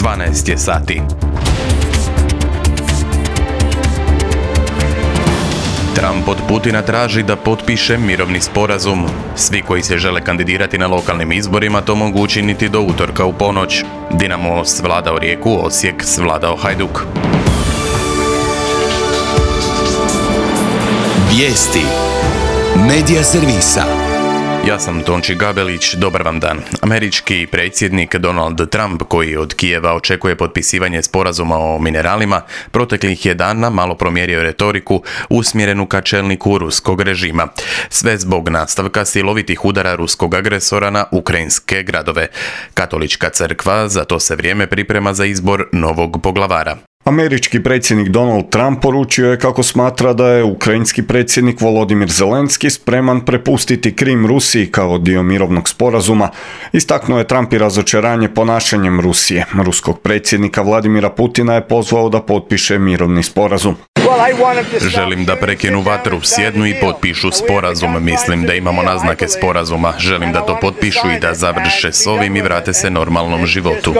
12 je sati. Trump od Putina traži da potpiše mirovni sporazum. Svi koji se žele kandidirati na lokalnim izborima to mogu učiniti do utorka u ponoć. Dinamo svladao Rijeku, Osijek svladao Hajduk. Vijesti Medija servisa. Ja sam Tonči Gabelić, dobar vam dan. Američki predsjednik Donald Trump, koji od Kijeva očekuje potpisivanje sporazuma o mineralima, proteklih je dana malo promjerio retoriku usmjerenu ka čelniku ruskog režima. Sve zbog nastavka silovitih udara ruskog agresora na ukrajinske gradove. Katolička crkva za to se vrijeme priprema za izbor novog poglavara. Američki predsjednik Donald Trump poručio je kako smatra da je ukrajinski predsjednik Volodimir Zelenski spreman prepustiti Krim Rusiji kao dio mirovnog sporazuma. Istaknuo je Trump i razočaranje ponašanjem Rusije. Ruskog predsjednika Vladimira Putina je pozvao da potpiše mirovni sporazum. Želim da prekinu vatru, sjednu i potpišu sporazum. Mislim da imamo naznake sporazuma. Želim da to potpišu i da završe s ovim i vrate se normalnom životu.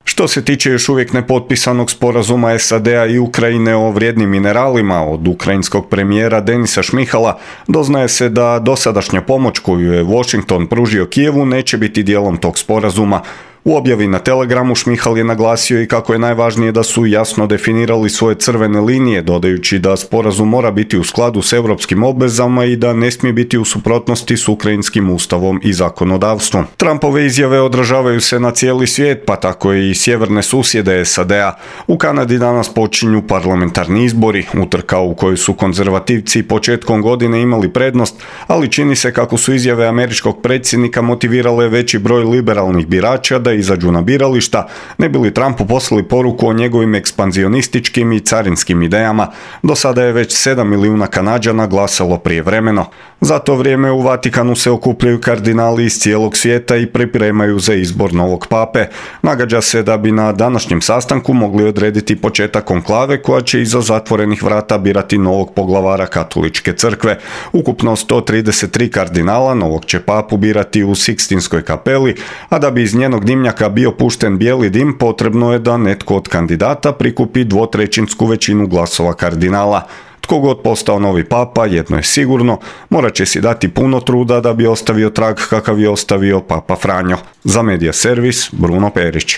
Što se tiče još uvijek nepotpisanog sporazuma SAD-a i Ukrajine o vrijednim mineralima, od ukrajinskog premijera Denisa Šmihala doznaje se da dosadašnja pomoć koju je Washington pružio Kijevu neće biti dijelom tog sporazuma. U objavi na Telegramu Šmihal je naglasio i kako je najvažnije da su jasno definirali svoje crvene linije, dodajući da sporazum mora biti u skladu s europskim obvezama i da ne smije biti u suprotnosti s ukrajinskim ustavom i zakonodavstvom. Trumpove izjave odražavaju se na cijeli svijet, pa tako i sjeverne susjede SAD-a. U Kanadi danas počinju parlamentarni izbori, utrka u kojoj su konzervativci početkom godine imali prednost, ali čini se kako su izjave američkog predsjednika motivirale veći broj liberalnih birača da izađu na birališta, ne bi li Trumpu poslali poruku o njegovim ekspanzionističkim i carinskim idejama. Do sada je već 7 milijuna Kanađana glasalo prijevremeno. Za to vrijeme u Vatikanu se okupljaju kardinali iz cijelog svijeta i pripremaju za izbor novog pape. Nagađa se da bi na današnjem sastanku mogli odrediti početak konklave koja će iza zatvorenih vrata birati novog poglavara Katoličke crkve. Ukupno 133 kardinala novog će papu birati u Sikstinskoj kapeli, a da bi iz njenog dimnjaka bio pušten bijeli dim, potrebno je da netko od kandidata prikupi 2/3 većinu glasova kardinala. Tko god postao novi papa, jedno je sigurno, morat će si dati puno truda da bi ostavio trag kakav je ostavio papa Franjo. Za Medija servis, Bruno Perić.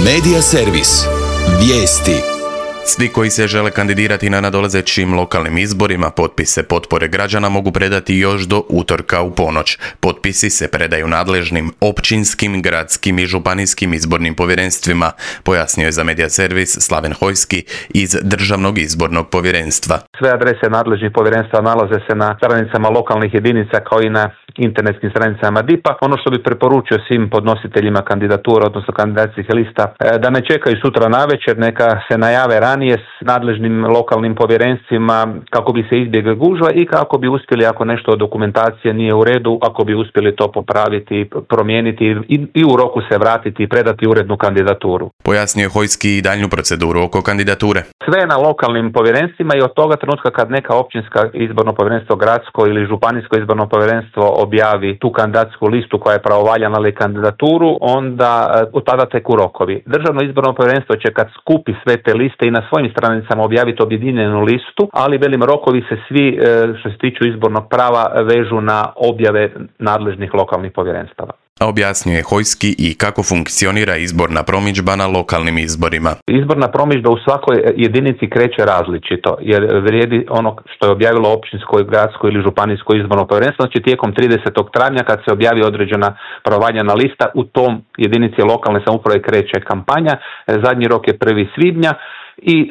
Medija servis. Vijesti. Svi koji se žele kandidirati na nadolazećim lokalnim izborima potpise potpore građana mogu predati još do utorka u ponoć. Potpisi se predaju nadležnim općinskim, gradskim i županijskim izbornim povjerenstvima, pojasnio je za Medija servis Slaven Hojski iz Državnog izbornog povjerenstva. Sve adrese nadležnih povjerenstva nalaze se na stranicama lokalnih jedinica kao i na internetskim stranicama DIP-a. Ono što bi preporučio svim podnositeljima kandidatura, odnosno kandidacijskih lista, da ne čekaju sutra navečer, neka se najave ranije s nadležnim lokalnim povjerenstvima kako bi se izbjegla gužva i kako bi uspjeli, ako nešto od dokumentacije nije u redu, ako bi uspjeli to popraviti, promijeniti i u roku se vratiti i predati urednu kandidaturu. Pojasnio je Hojski i daljnju proceduru oko kandidature. Sve na lokalnim povjerenstvima i od toga trenutka kad neka općinska izborno povjerenstvo, gradsko ili županijsko izborno povjerenstvo objavi tu kandidatsku listu koja je pravovaljana ali kandidaturu, onda od tada teku rokovi. Državno izborno povjerenstvo će kad skupi sve te liste i na svojim stranicama objaviti objedinjenu listu, ali velim rokovi se svi što se tiču izbornog prava vežu na objave nadležnih lokalnih povjerenstava. A objasnio je Hojski i kako funkcionira izborna promidžba na lokalnim izborima. Izborna promidžba u svakoj jedinici kreće različito, jer vrijedi ono što je objavilo općinsko, gradsko ili županijsko izborno povjerenstvo. Znači tijekom 30. travnja kad se objavi određena pravovaljana lista, u tom jedinici lokalne samouprave kreće kampanja. Zadnji rok je 1. svibnja. I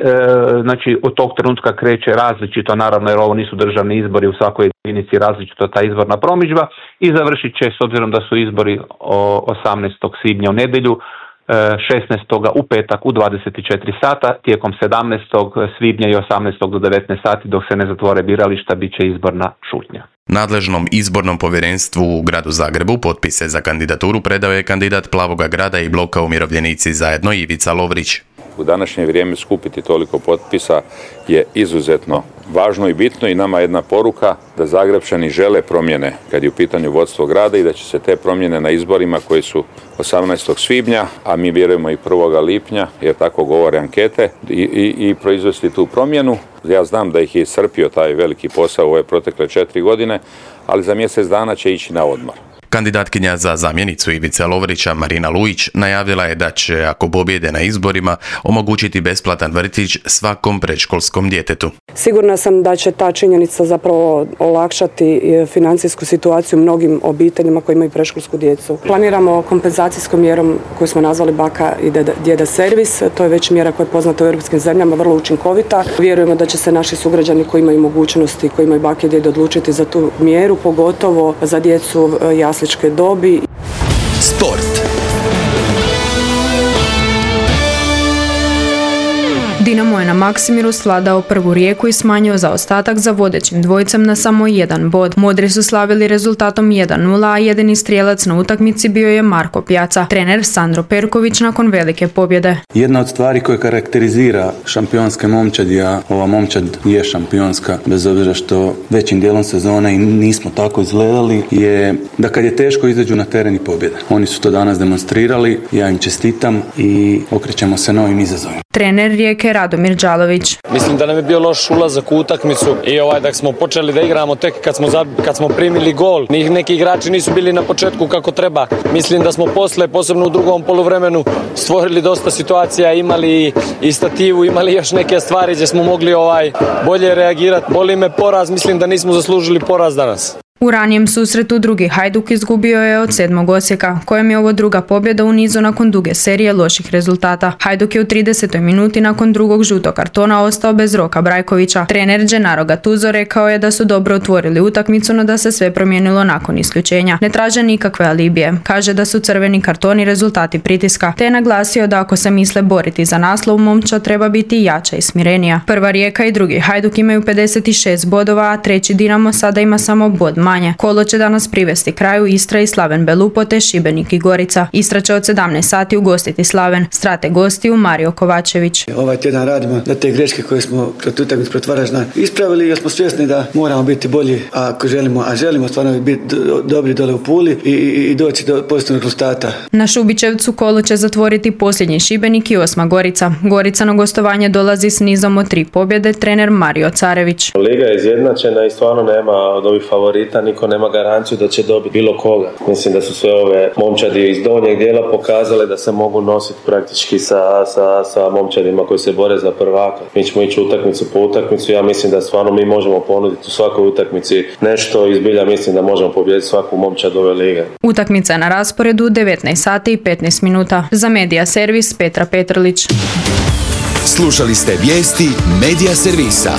znači od tog trenutka kreće različito, naravno jer ovo nisu državni izbori, u svakoj jedinici različito ta izborna promidžba i završit će, s obzirom da su izbori 18. svibnja u nedjelju, 16. u petak u 24 sata, tijekom 17. svibnja i 18. do 19 sati dok se ne zatvore birališta bit će izborna šutnja. Nadležnom izbornom povjerenstvu u gradu Zagrebu potpise za kandidaturu predao je kandidat Plavoga grada i bloka Umirovljenici zajedno Ivica Lovrić. U današnje vrijeme skupiti toliko potpisa je izuzetno važno i bitno i nama jedna poruka da Zagrebčani žele promjene kad je u pitanju vodstvo grada i da će se te promjene na izborima koji su 18. svibnja, a mi vjerujemo i 1. lipnja, jer tako govore ankete, i proizvesti tu promjenu. Ja znam da ih je iscrpio taj veliki posao u ove protekle 4 godine, ali za mjesec dana će ići na odmor. Kandidatkinja za zamjenicu Ivice Lovrića, Marina Lujić, najavila je da će, ako pobjede na izborima, omogućiti besplatan vrtić svakom predškolskom djetetu. Sigurna sam da će ta činjenica zapravo olakšati financijsku situaciju mnogim obiteljima koji imaju predškolsku djecu. Planiramo kompenzacijskom mjerom koju smo nazvali baka i djeda servis. To je već mjera koja je poznata u europskim zemljama, vrlo učinkovita. Vjerujemo da će se naši sugrađani koji imaju mogućnosti, koji imaju bake i djede odlučiti za tu mjeru, pogotovo za djecu jasličke dobi. Sport. Dinamo je na Maksimiru svladao prvu Rijeku i smanjio zaostatak za vodećim dvojicem na samo jedan bod. Modri su slavili rezultatom 1:0, a jedini strijelac na utakmici bio je Marko Pjaca, trener Sandro Perković nakon velike pobjede. Jedna od stvari koja karakterizira šampionske momčadi, a ova momčad je šampionska, bez obzira što većim dijelom sezone i nismo tako izgledali, je da kad je teško izađu na teren i pobjede. Oni su to danas demonstrirali, ja im čestitam i okrećemo se novim izazovima. Trener Rijeke Radomir Đalović. Mislim da nam je bio loš ulazak u utakmicu i da smo počeli da igramo tek kad smo primili gol. Neki igrači nisu bili na početku kako treba. Mislim da smo posle, posebno u drugom poluvremenu, stvorili dosta situacija, imali i stativu, imali još neke stvari gdje smo mogli bolje reagirati. Boli me poraz, mislim da nismo zaslužili poraz danas. U ranijem susretu drugi Hajduk izgubio je od 7. Osijeka, kojem je ovo druga pobjeda u nizu nakon duge serije loših rezultata. Hajduk je u 30. minuti nakon drugog žutog kartona ostao bez Roka Brajkovića. Trener Gennaro Gattuso rekao je da su dobro otvorili utakmicu, no da se sve promijenilo nakon isključenja. Ne traže nikakve alibije. Kaže da su crveni kartoni rezultati pritiska, te je naglasio da ako se misle boriti za naslov, momčad treba biti jača i smirenija. Prva Rijeka i drugi Hajduk imaju 56 bodova, a treći Dinamo sada ima samo bod manje. Kolo će danas privesti kraju Istra i Slaven Belupo te Šibenik i Gorica. Istra će od 17 sati ugostiti Slaven. Strate gostiju Mario Kovačević. Ovaj tjedan radimo da te greške koje smo protiv utakmice protiv Varaždina ispravili, jer smo svjesni da moramo biti bolji ako želimo stvarno biti dobri dole u Puli i doći do pozitivnog rezultata. Na Šubićevcu kolo će zatvoriti posljednji Šibenik i 8. Gorica. Gorica na gostovanje dolazi s nizom od 3 pobjede, trener Mario Carević. Liga je izjednačena i stvarno nema od ovih favorita, niko nema garanciju da će dobiti bilo koga. Mislim da su sve ove momčadi iz donjeg dijela pokazale da se mogu nositi praktički sa momčadima koji se bore za prvaka. Mi ćemo ići utakmicu po utakmicu, ja mislim da stvarno mi možemo ponuditi u svakoj utakmici nešto i zbilja mislim da možemo pobijediti svaku momčad ove lige. Utakmica je na rasporedu 19 sati i 15 minuta. Za Medija servis Petra Petrlić. Slušali ste vijesti Medija servisa.